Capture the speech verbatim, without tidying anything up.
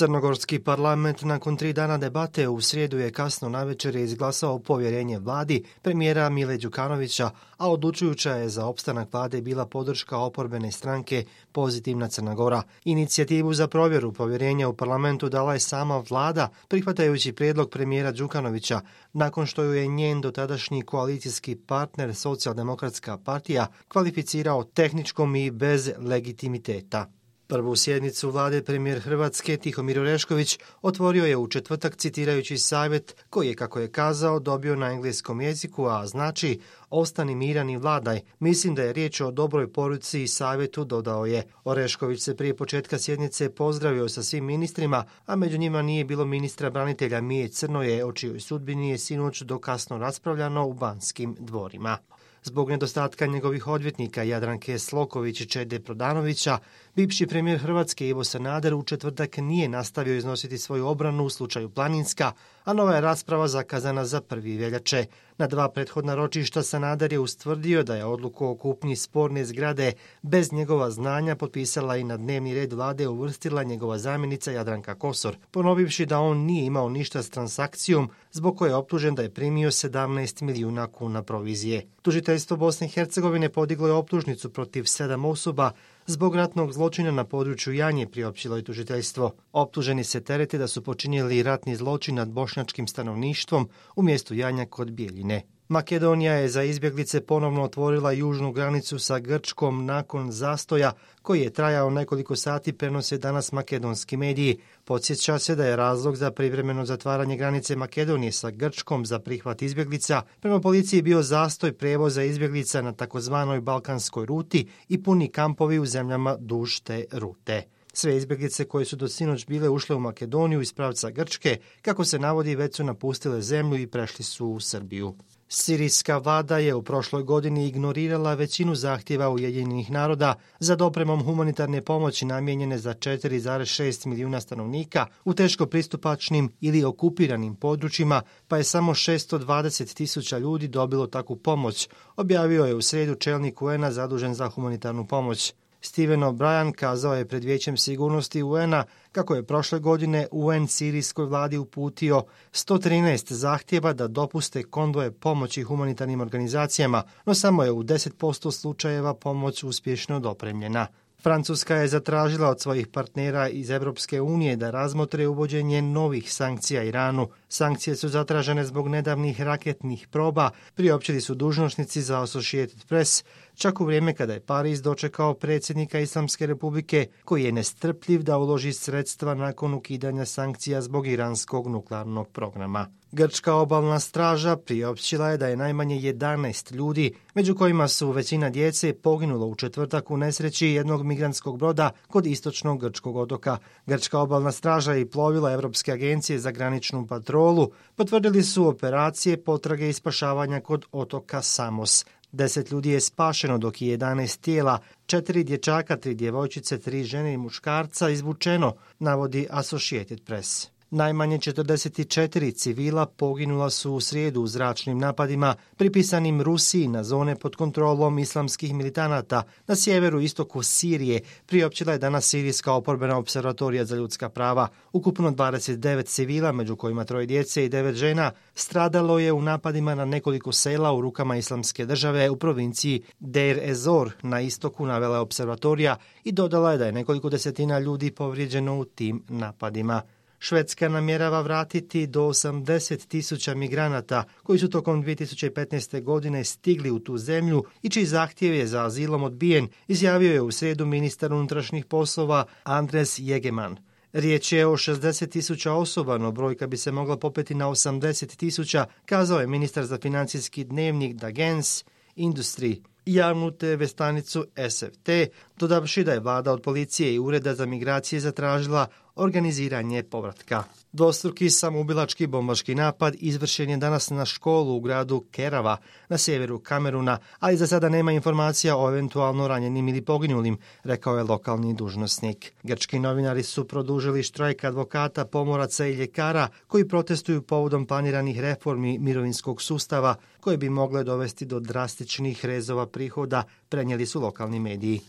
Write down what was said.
Crnogorski parlament nakon tri dana debate u srijedu je kasno navečer izglasao povjerenje vladi premijera Mile Đukanovića, a odlučujuća je za opstanak vlade bila podrška oporbene stranke Pozitivna Crna Gora. Inicijativu za provjeru povjerenja u parlamentu dala je sama vlada, prihvatajući prijedlog premijera Đukanovića, nakon što ju je njen dotadašnji koalicijski partner Socijaldemokratska partija kvalificirao tehničkom i bez legitimiteta. Prvu sjednicu vlade premijer Hrvatske Tihomir Orešković otvorio je u četvrtak citirajući savjet koji je, kako je kazao, dobio na engleskom jeziku, a znači ostani miran i vladaj. Mislim da je riječ o dobroj poruci i savjetu, dodao je. Orešković se prije početka sjednice pozdravio sa svim ministrima, a među njima nije bilo ministra branitelja Mije Crnoje, o čijoj sudbini je sinoć do kasno raspravljano u Banskim dvorima. Zbog nedostatka njegovih odvjetnika Jadranke Sloković i Čede Prodanovića, bivši premijer Hrvatske Ivo Sanader u četvrtak nije nastavio iznositi svoju obranu u slučaju Planinska, a nova je rasprava zakazana za prvi veljače. Na dva prethodna ročišta Sanader je ustvrdio da je odluku o kupnji sporne zgrade bez njegova znanja potpisala i na dnevni red vlade uvrstila njegova zamjenica Jadranka Kosor, ponovivši da on nije imao ništa s transakcijom zbog koje je optužen da je primio sedamnaest milijuna kuna provizije. Tužiteljstvo Bosne i Hercegovine podiglo je optužnicu protiv sedam osoba zbog ratnog zločina na području Janje, priopćilo je tužiteljstvo. Optuženi se terete da su počinili ratni zločin nad bošnjačkim stanovništvom u mjestu Janja kod Bijeljine. Makedonija je za izbjeglice ponovno otvorila južnu granicu sa Grčkom nakon zastoja koji je trajao nekoliko sati, prenose danas makedonski mediji. Podsjeća se da je razlog za privremeno zatvaranje granice Makedonije sa Grčkom za prihvat izbjeglica prema policiji bio zastoj prevoza izbjeglica na takozvanoj balkanskoj ruti i puni kampovi u zemljama duž te rute. Sve izbjeglice koje su do sinoć bile ušle u Makedoniju iz pravca Grčke, kako se navodi, već su napustile zemlju i prešli su u Srbiju. Sirijska vlada je u prošloj godini ignorirala većinu zahtjeva Ujedinjenih naroda za dopremom humanitarne pomoći namijenjene za četiri zarez šest milijuna stanovnika u teško pristupačnim ili okupiranim područjima, pa je samo šesto dvadeset tisuća ljudi dobilo takvu pomoć, objavio je u srijedu čelnik U N-a zadužen za humanitarnu pomoć. Steven O'Brien kazao je pred Vijećem sigurnosti U N-a kako je prošle godine U N sirijskoj vladi uputio sto trinaest zahtjeva da dopuste konvoje pomoći humanitarnim organizacijama, no samo je u deset posto slučajeva pomoć uspješno dopremljena. Francuska je zatražila od svojih partnera iz Europske unije da razmotre uvođenje novih sankcija Iranu. Sankcije su zatražene zbog nedavnih raketnih proba, priopćili su dužnosnici za Associated Press, čak u vrijeme kada je Pariz dočekao predsjednika Islamske republike, koji je nestrpljiv da uloži sredstva nakon ukidanja sankcija zbog iranskog nuklearnog programa. Grčka obalna straža priopćila je da je najmanje jedanaest ljudi, među kojima su većina djece, poginulo u četvrtak u nesreći jednog migrantskog broda kod istočnog grčkog otoka. Grčka obalna straža i plovila Europske agencije za graničnu patrolu potvrdili su operacije potrage i spašavanja kod otoka Samos. Deset ljudi je spašeno, dok je jedanaest tijela, četiri dječaka, tri djevojčice, tri žene i muškarca izvučeno, navodi Associated Press. Najmanje četrdeset četiri civila poginula su u srijedu u zračnim napadima pripisanim Rusiji na zone pod kontrolom islamskih militanata na sjeveru istoku Sirije, priopćila je danas Sirijska oporbena observatorija za ljudska prava. Ukupno dvadeset devet civila, među kojima troje djece i devet žena, stradalo je u napadima na nekoliko sela u rukama Islamske države u provinciji Deir ez-Zor na istoku, navela je observatorija i dodala je da je nekoliko desetina ljudi povrijeđeno u tim napadima. Švedska namjerava vratiti do osamdeset tisuća migranata koji su tokom dvije tisuće petnaeste. godine stigli u tu zemlju i čiji zahtjev je za azilom odbijen, izjavio je u srijedu ministar unutrašnjih poslova Andres Jegeman. Riječ je o šezdeset tisuća osoba, no brojka bi se mogla popeti na osamdeset tisuća, kazao je ministar za financijski dnevnik Dagens Industry javnu te ve stanicu S F T, dodavši da je vlada od policije i ureda za migracije zatražila organiziranje povratka. Dvostruki samoubilački bombaški napad izvršen je danas na školu u gradu Kerava na sjeveru Kameruna, ali za sada nema informacija o eventualno ranjenim ili poginulim, rekao je lokalni dužnosnik. Grčki novinari su produžili štrajk advokata, pomoraca i ljekara koji protestuju povodom planiranih reformi mirovinskog sustava koje bi mogle dovesti do drastičnih rezova prihoda, prenijeli su lokalni mediji.